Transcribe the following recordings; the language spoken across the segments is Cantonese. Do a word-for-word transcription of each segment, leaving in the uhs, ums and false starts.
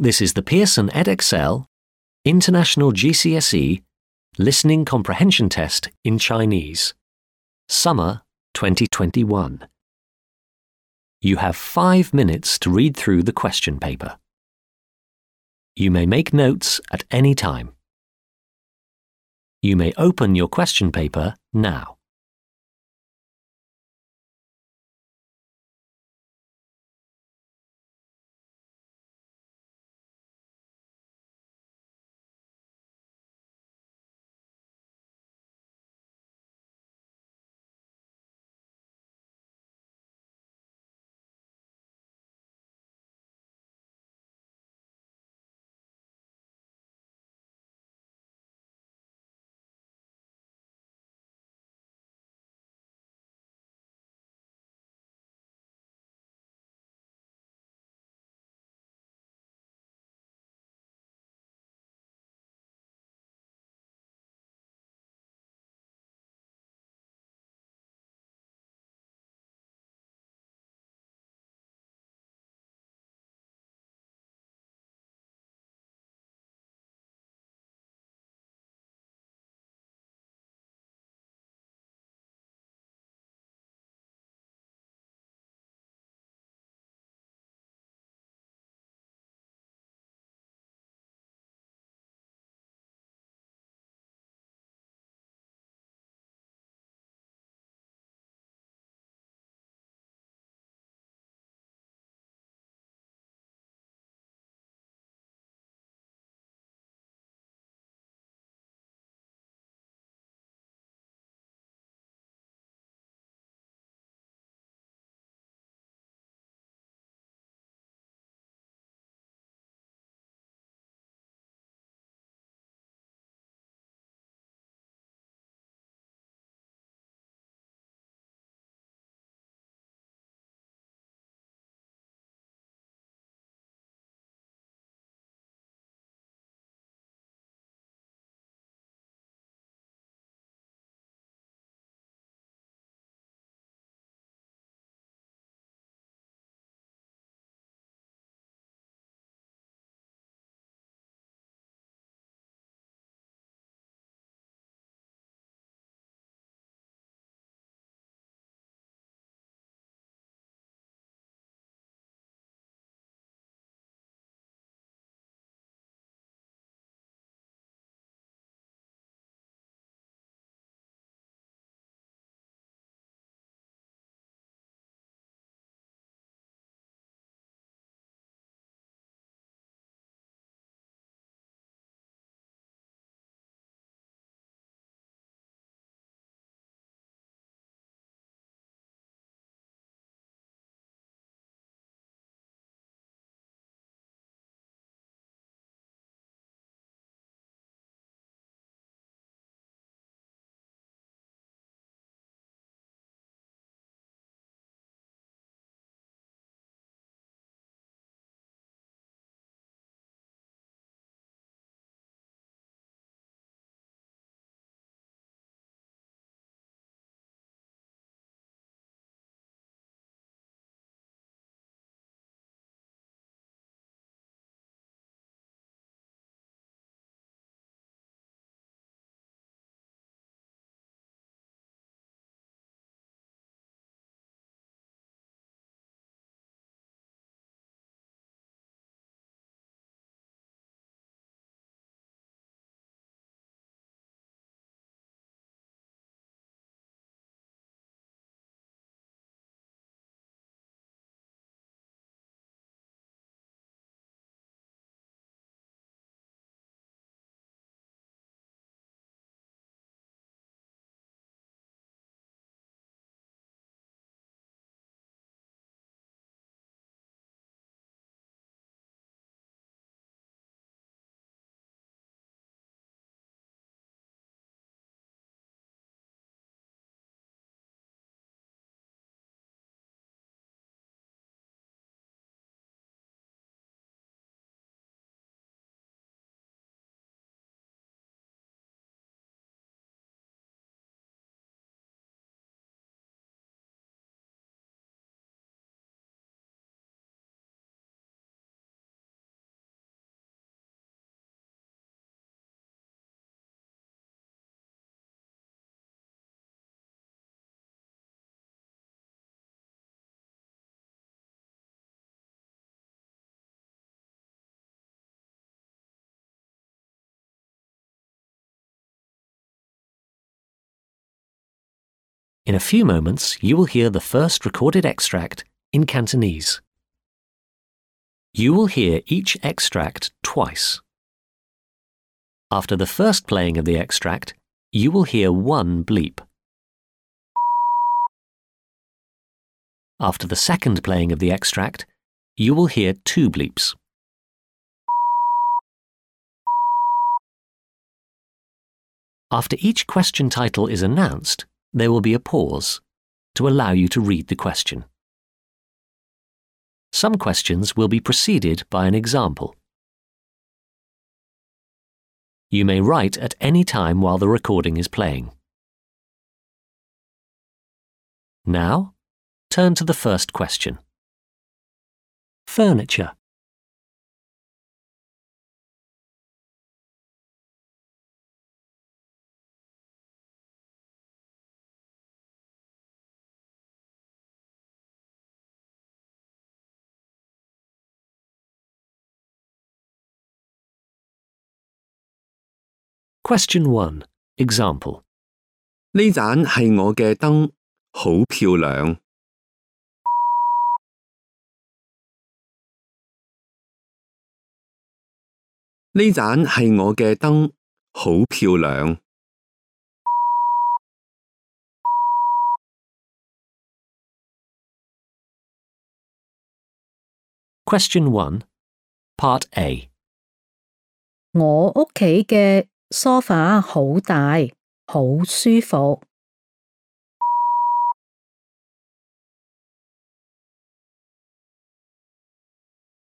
This is the Pearson Edexcel International G C S E Listening Comprehension Test in Chinese, Summer twenty twenty-one. You have five minutes to read through the question paper. You may make notes at any time. You may open your question paper now. In a few moments, you will hear the first recorded extract in Cantonese. You will hear each extract twice. After the first playing of the extract, you will hear one bleep. After the second playing of the extract, you will hear two bleeps. After each question title is announced, there will be a pause to allow you to read the question. Some questions will be preceded by an example. You may write at any time while the recording is playing. Now, turn to the first question. Furniture. Question one. Example. 呢盞係我嘅燈，好漂亮。呢盞係我嘅燈，好漂亮。Question one. Part A. 我屋企嘅梳化好大，好舒服。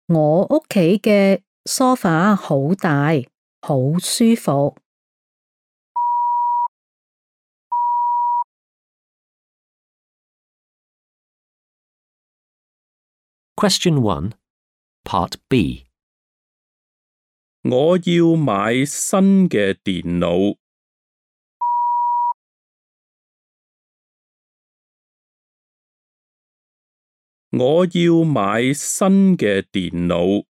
我屋企嘅梳化好大，好舒服。Question one. Part B. 我要買新嘅電腦。我要買新嘅電腦。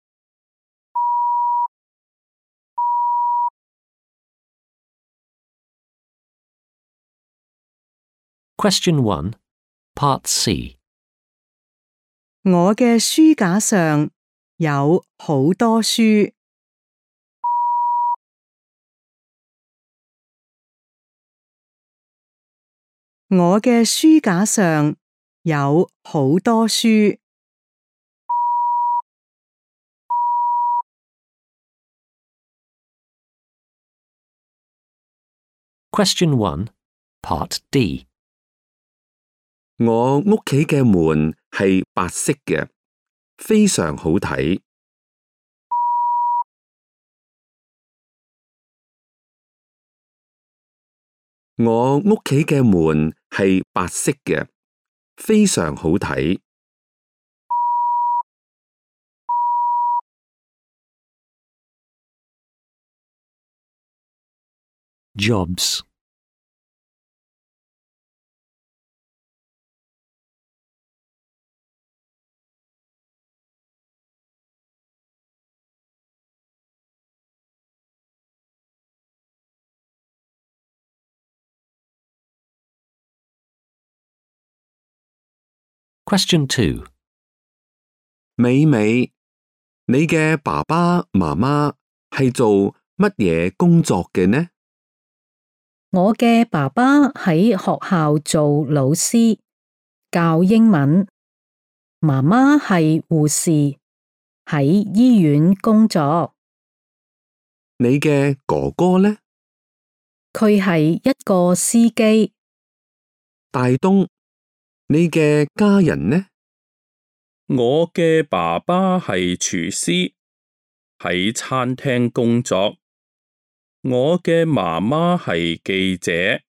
Question one. Part C. 我嘅書架上有好多書。我嘅書架上有好多書。Question one. Part D. 我屋企嘅門係白色嘅，非常好睇。我屋企嘅門係白色嘅，非常好睇。Jobs. Question two. 美美，你嘅爸爸媽媽係做乜嘢工作嘅呢？我嘅爸爸喺學校做老師，教英文。媽媽係護士，喺醫院工作。你嘅哥哥呢？佢係一個司機。大東，你嘅家人呢？我嘅爸爸係廚師，喺餐廳工作。我嘅媽媽係記者。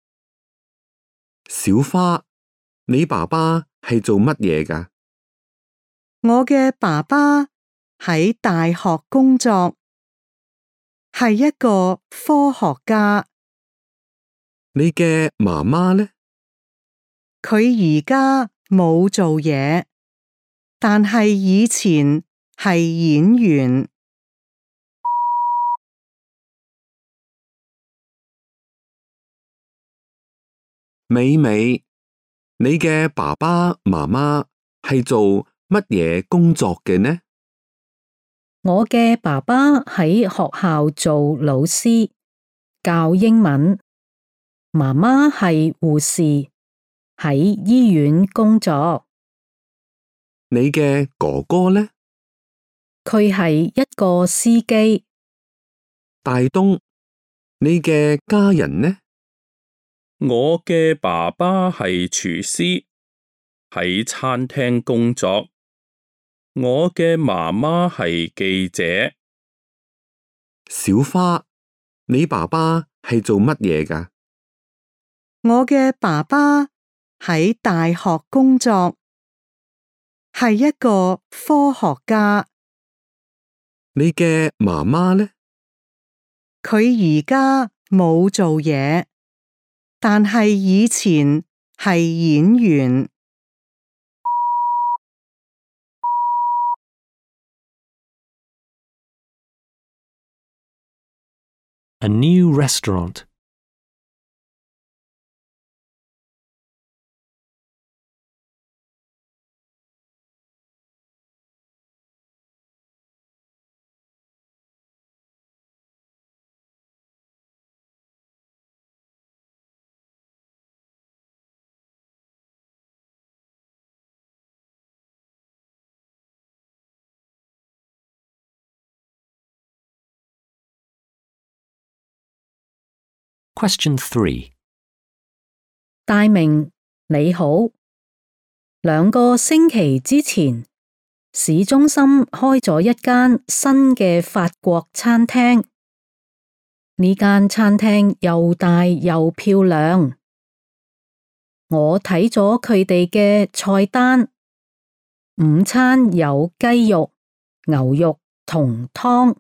小花，你爸爸係做乜嘢㗎？我嘅爸爸喺大學工作，係一個科學家。你嘅媽媽呢？佢而家冇做嘢，但係以前係演員。美美，你嘅爸爸媽媽係做乜嘢工作嘅呢？我嘅爸爸喺學校做老師，教英文。媽媽係護士，喺醫院工作。你嘅哥哥呢？佢係一個司機。大東，你嘅家人呢？我嘅爸爸係廚師，喺餐廳工作。我嘅媽媽係記者。小花，你爸爸係做乜嘢㗎？我嘅爸爸喺大學工作，係一個科學家。你嘅媽媽呢？佢而家冇做嘢，但係以前係演員。A new restaurant. Question three. 大明，你好。兩個星期之前，市中心開咗一間新嘅法國餐廳。呢間餐廳又大又漂亮。我睇咗佢哋嘅菜單，午餐有雞肉、牛肉同湯，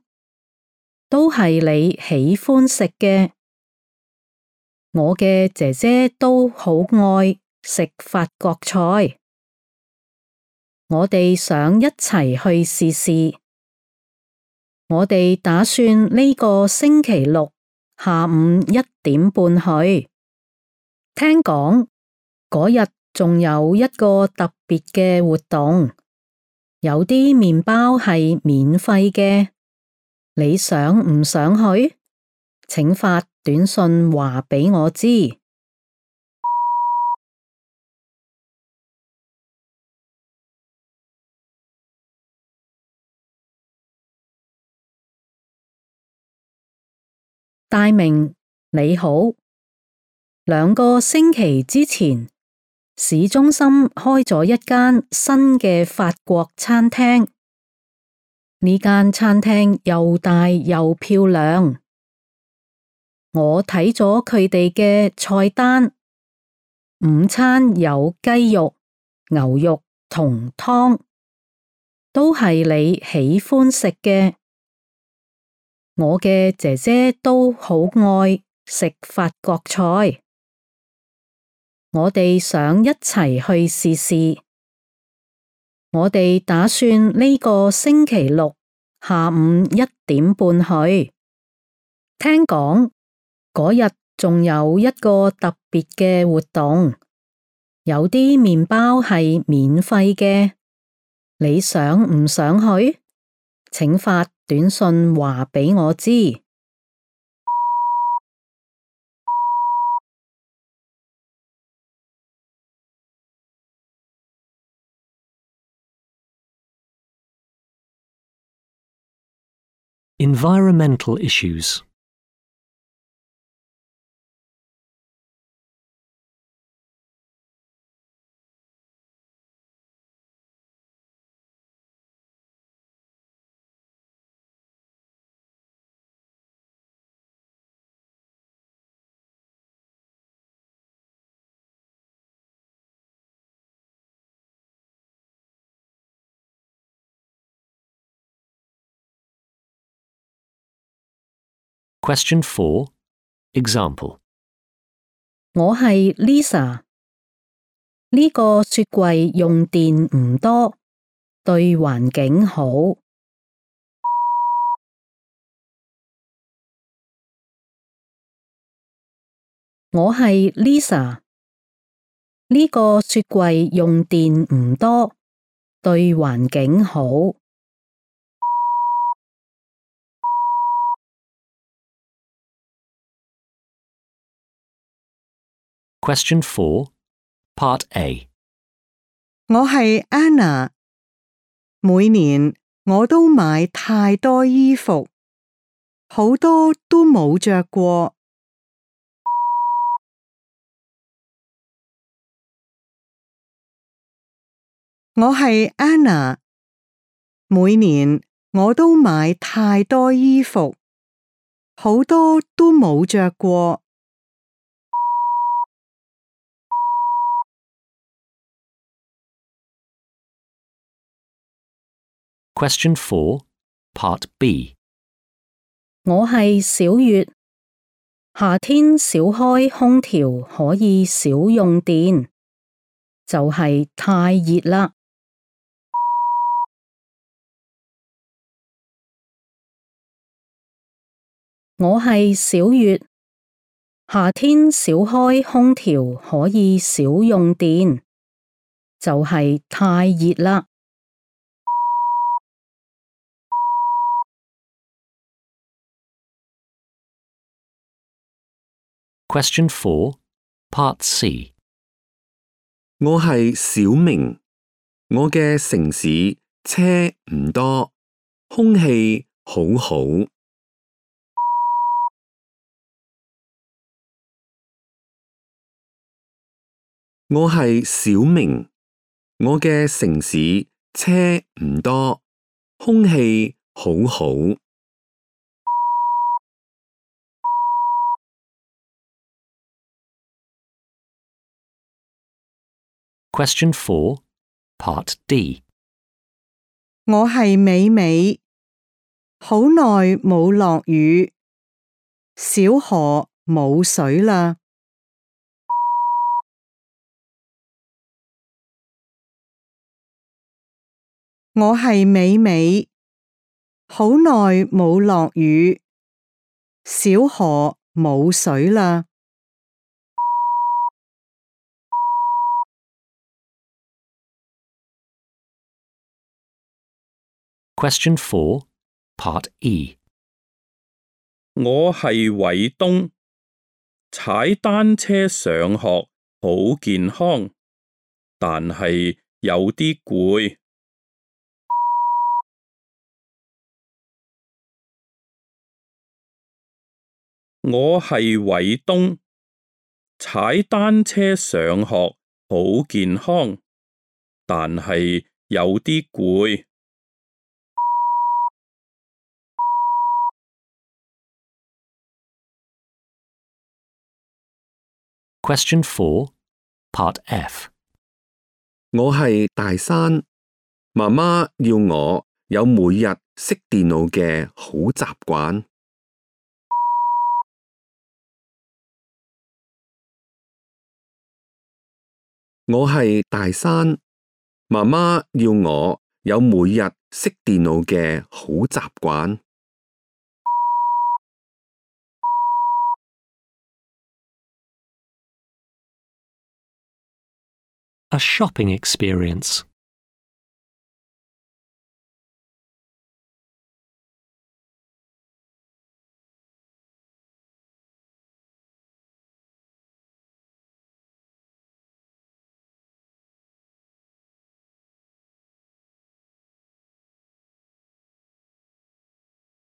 都係你喜歡食嘅。我嘅姐姐都好愛食法國菜，我哋想一齊去試試。我哋打算呢個星期六下午一點半去。聽講嗰日仲有一個特別嘅活動，有啲麵包係免費嘅。你想唔想去？請發短信話俾我知。大明，你好。兩個星期之前，市中心開咗一間新嘅法國餐廳。呢間餐廳又大又漂亮。我睇咗佢哋嘅菜單，午餐有雞肉、牛肉同湯，都係你喜歡食嘅。我嘅姐姐都好愛食法國菜，我哋想一齊去試試。我哋打算呢個星期六下午一點半去。聽講嗰日仲有一個特別嘅活動，有啲麵包係免費嘅。你想唔想去？請發短信話俾我知。Environmental issues. Question four. Example. 我係 Lisa，呢個雪櫃用電唔多，對環境好。我係 Lisa。呢個雪櫃用電唔多，對環境好。Question four, Part A. 我係 Anna， 每年我都買太多衣服，好多都冇着過。我係 Anna， 每年我都買太多衣服，好多都冇着過。Question four, Part B. 我係小月，夏天少開空調可以少用電，就係太熱啦。我係小月，夏天少開空調可以少用電，就係太熱啦。Question four, Part C. 我係小明，我嘅城市車唔多，空氣好好。我係小明，我嘅城市車唔多，空氣好好。Question four, Part D. 我係美美，好耐冇落雨，小河冇水啦。我係美美，好耐冇落雨，小河冇水啦。Question four, Part E. 我係偉東，踩單車上學好健康，但係有啲攰。我係偉東，踩單車上學好健康，但係有啲攰。Question four, Part F. 我係大山，媽媽要我有每日熄電腦嘅好習慣。我係大山，媽媽要我有每日熄電腦嘅好習慣。A shopping experience.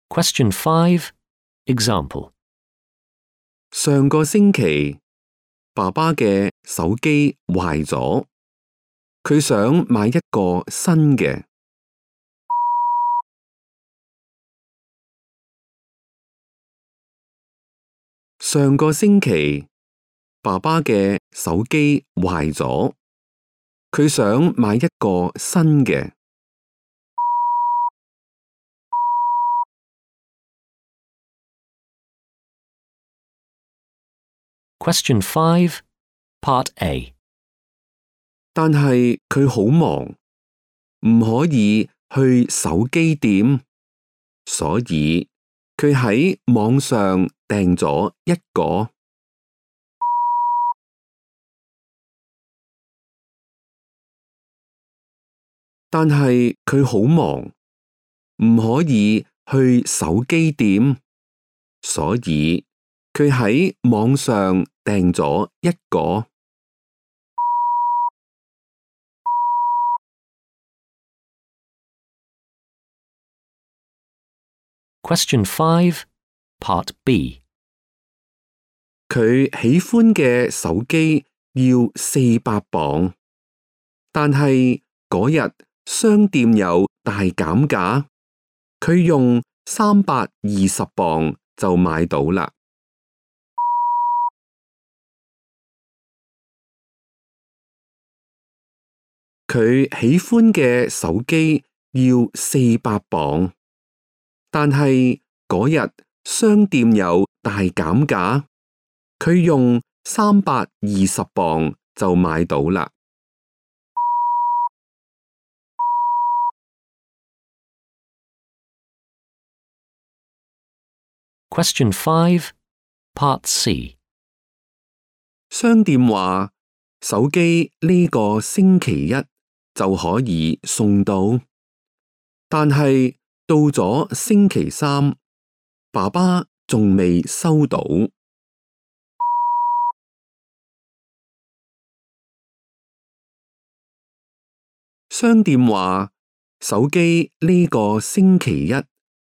Question five, Example. 上個星期，爸爸嘅手機壞咗，佢想買一個新嘅。上個星期，爸爸嘅手機壞咗，佢想買一個新嘅。Question five, Part A. 但係佢好忙，唔可以去手機店，所以佢喺網上訂咗一個。但係佢好忙，唔可以去手機店，所以佢喺網上訂咗一個。Question five, Part B. 佢喜歡嘅手機要四百磅，但係嗰日商店有大減價，佢用三百二十磅就買到啦。佢喜歡嘅手機要四百磅，但係嗰日商店有大減價，佢用三百二十磅就買到啦。Question five, Part C. 商店話手機呢個星期一就可以送到，但係到咗星期三，爸爸仲未收到。商店話手機呢個星期一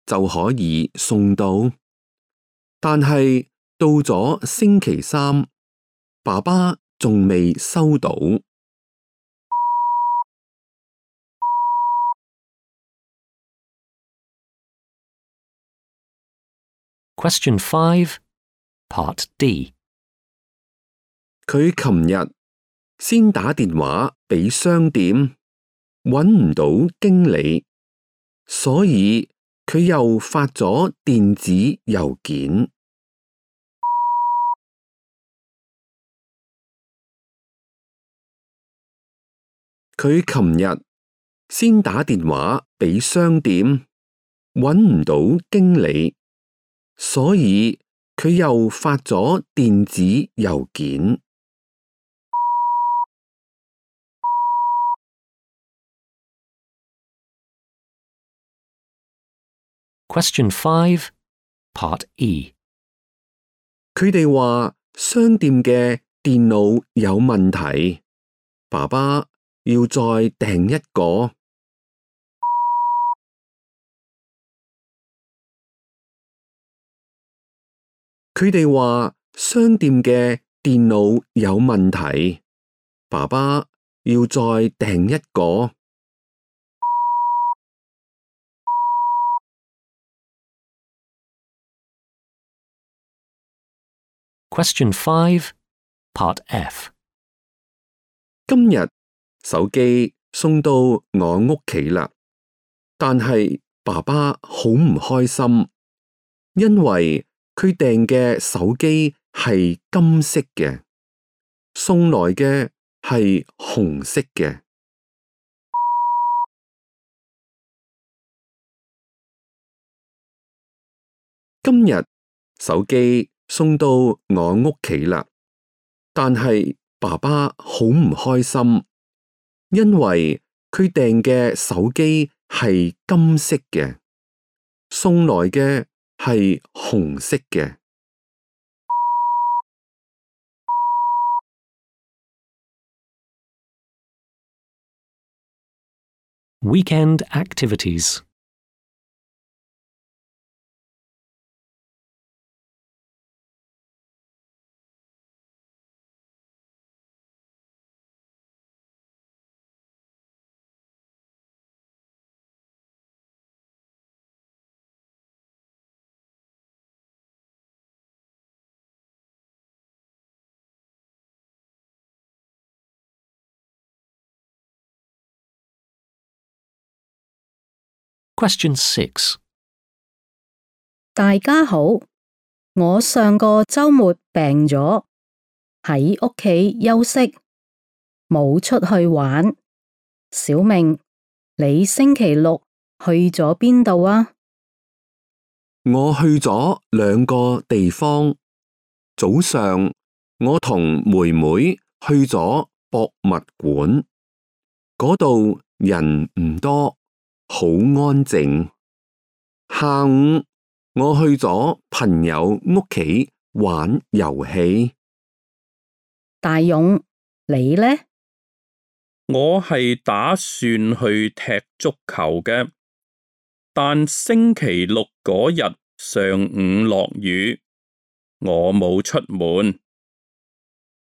就可以送到，但係到咗星期三，爸爸仲未收到。Question five, Part D. 佢琴日先打電話俾商店，搵唔到經理，所以佢又發咗電子郵件。佢琴日先打電話俾商店，搵唔到經理，所以佢又發咗電子郵件。Question five, Part E. 佢哋話商店嘅電腦有問題，爸爸要再訂一個。佢哋話商店嘅電腦有問題，爸爸要再訂一個。Question five, Part F. 今日手機送到我屋企啦，但係爸爸好唔開心，因為佢訂嘅手機係金色嘅，送來嘅係紅色嘅。今日手機送到我屋企啦，但係爸爸好唔開心，因為佢訂嘅手機係金色嘅，送來嘅係紅色嘅。Weekend activities. Question six. 大家好，我上個週末病咗，喺屋企休息，冇出去玩。小明，你星期六去咗邊度啊？我去咗兩個地方。早上我同妹妹去咗博物館，嗰度人唔多，好安靜。下午我去咗朋友屋企玩遊戲。大勇，你呢？我係打算去踢足球嘅，但星期六嗰日上午落雨，我冇出門。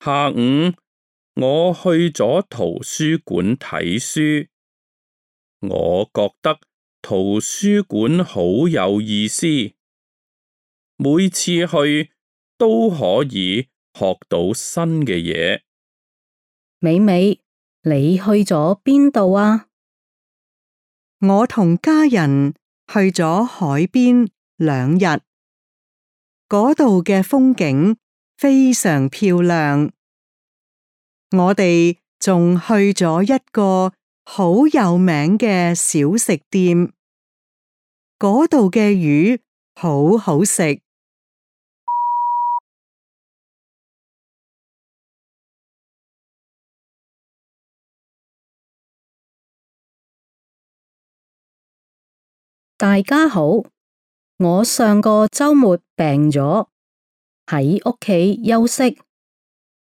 下午我去咗圖書館睇書，我覺得圖書館好有意思，每次去都可以學到新嘅嘢。美美，你去咗邊度啊？我同家人去咗海邊兩日，嗰度嘅風景非常漂亮。我哋仲去咗一個好有名嘅小食店，嗰度嘅魚好好食。大家好，我上個週末病咗，喺屋企休息，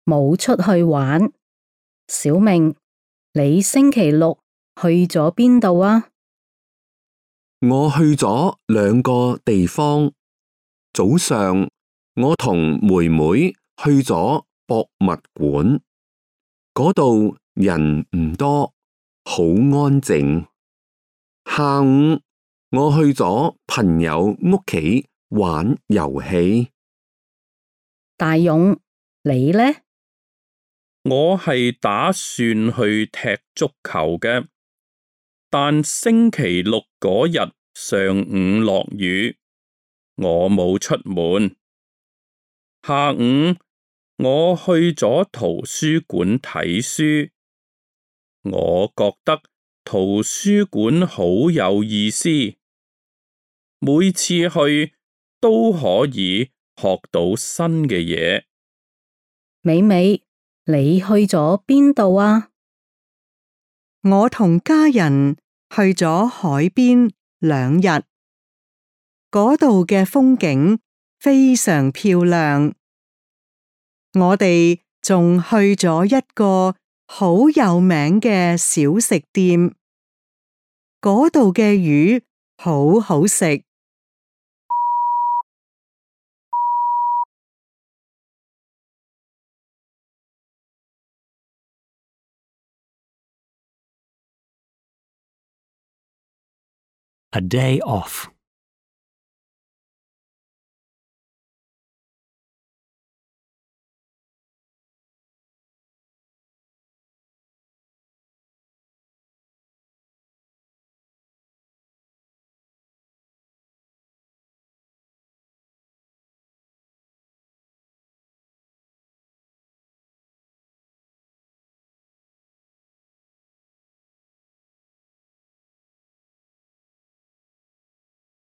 冇出去玩。小明，你星期六去咗邊度啊？我去咗兩個地方。早上我同妹妹去咗博物館，嗰度人唔多，好安靜。下午我去咗朋友屋企玩遊戲。大勇，你呢？我係打算去踢足球嘅，但星期六嗰日上午落雨，我冇出門。下午我去咗圖書館睇書，我覺得圖書館好有意思，每次去都可以學到新嘅嘢。美美，你去咗邊度啊？我同家人去咗海邊兩日，嗰度嘅風景非常漂亮。我哋仲去咗一個好有名嘅小食店，嗰度嘅魚好好食。A day off.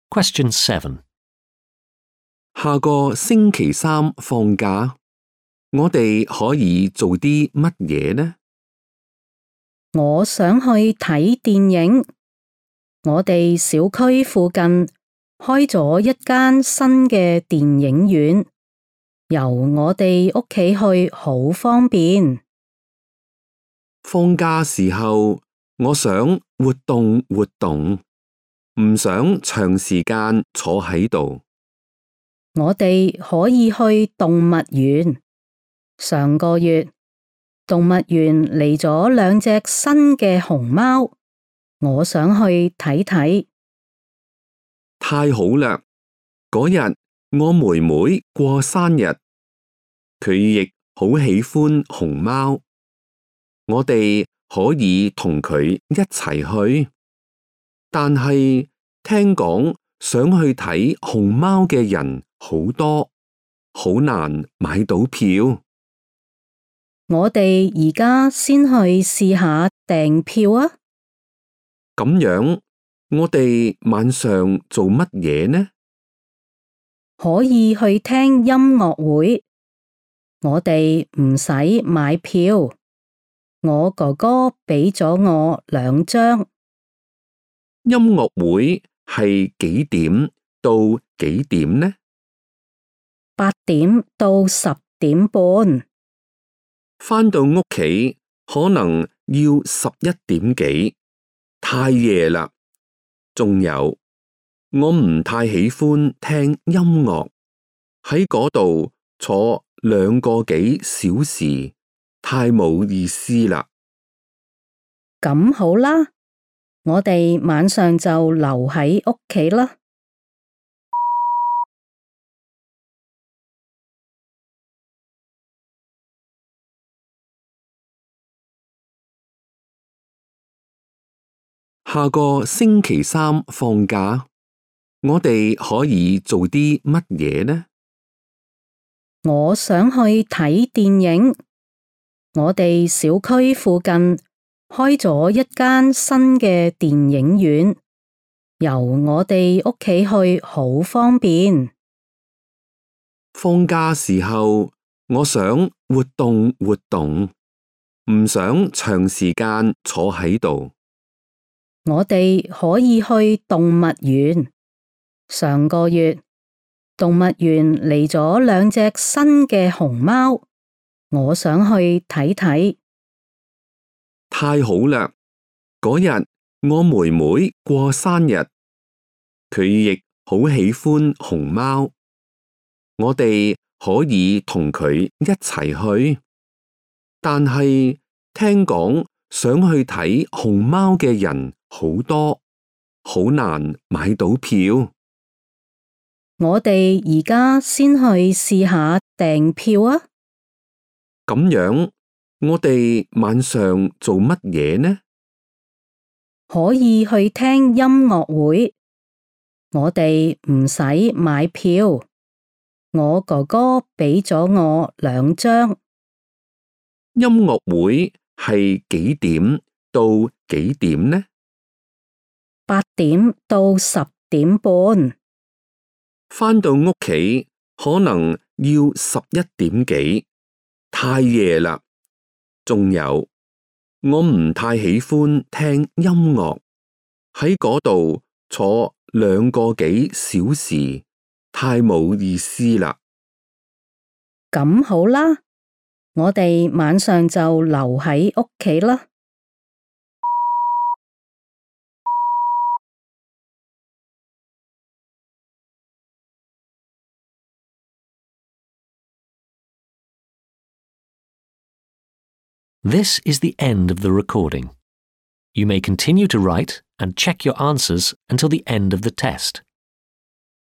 Question seven. 下個星期三放假，我哋可以做啲乜嘢呢？我想去睇電影。我哋小區附近開咗一間新嘅電影院，由我哋屋企去好方便。放假時候，我想活動活動，唔想長時間坐喺度。我哋可以去動物園。上個月，動物園嚟咗兩隻新嘅熊貓，我想去睇睇。太好啦！嗰日我妹妹過生日，佢亦好喜歡熊貓，我哋可以同佢一齊去。但係聽講想去睇熊貓嘅人好多，好難買到票。我哋而家先去試下訂票啊！咁樣，我哋晚上做乜嘢呢？可以去聽音樂會，我哋唔使買票。我哥哥俾咗我兩張。音樂會係幾點到幾點呢？八點到十點半。返到屋企可能要十一點幾，太夜啦。仲有，我唔太喜歡聽音樂，喺嗰度坐兩個幾小時，太冇意思啦。咁好啦，我哋晚上就留喺屋企啦。下個星期三放假，我哋可以做啲乜嘢呢？我想去睇電影。我哋小區附近開咗一間新嘅電影院，由我哋屋企去好方便。放假時候，我想活動活動，唔想長時間坐喺度。我哋可以去動物園。上個月，動物園嚟咗兩隻新嘅熊貓，我想去睇睇。太好啦！嗰日我妹妹過生日，佢亦好喜歡熊貓，我哋可以同佢一齊去。但係聽講想去睇熊貓嘅人好多，好難買到票。我哋而家先去試下訂票啊！咁樣，我哋晚上做乜嘢呢？可以去聽音樂會，我哋唔使買票。我哥哥俾咗我兩張。音樂會係幾點到幾點呢？八點到十點半。返到屋企可能要十一點幾，太夜啦。仲有，我唔太喜歡聽音樂，喺嗰度坐兩個幾小時，太冇意思啦。咁好啦，我哋晚上就留喺屋企啦。This is the end of the recording. You may continue to write and check your answers until the end of the test.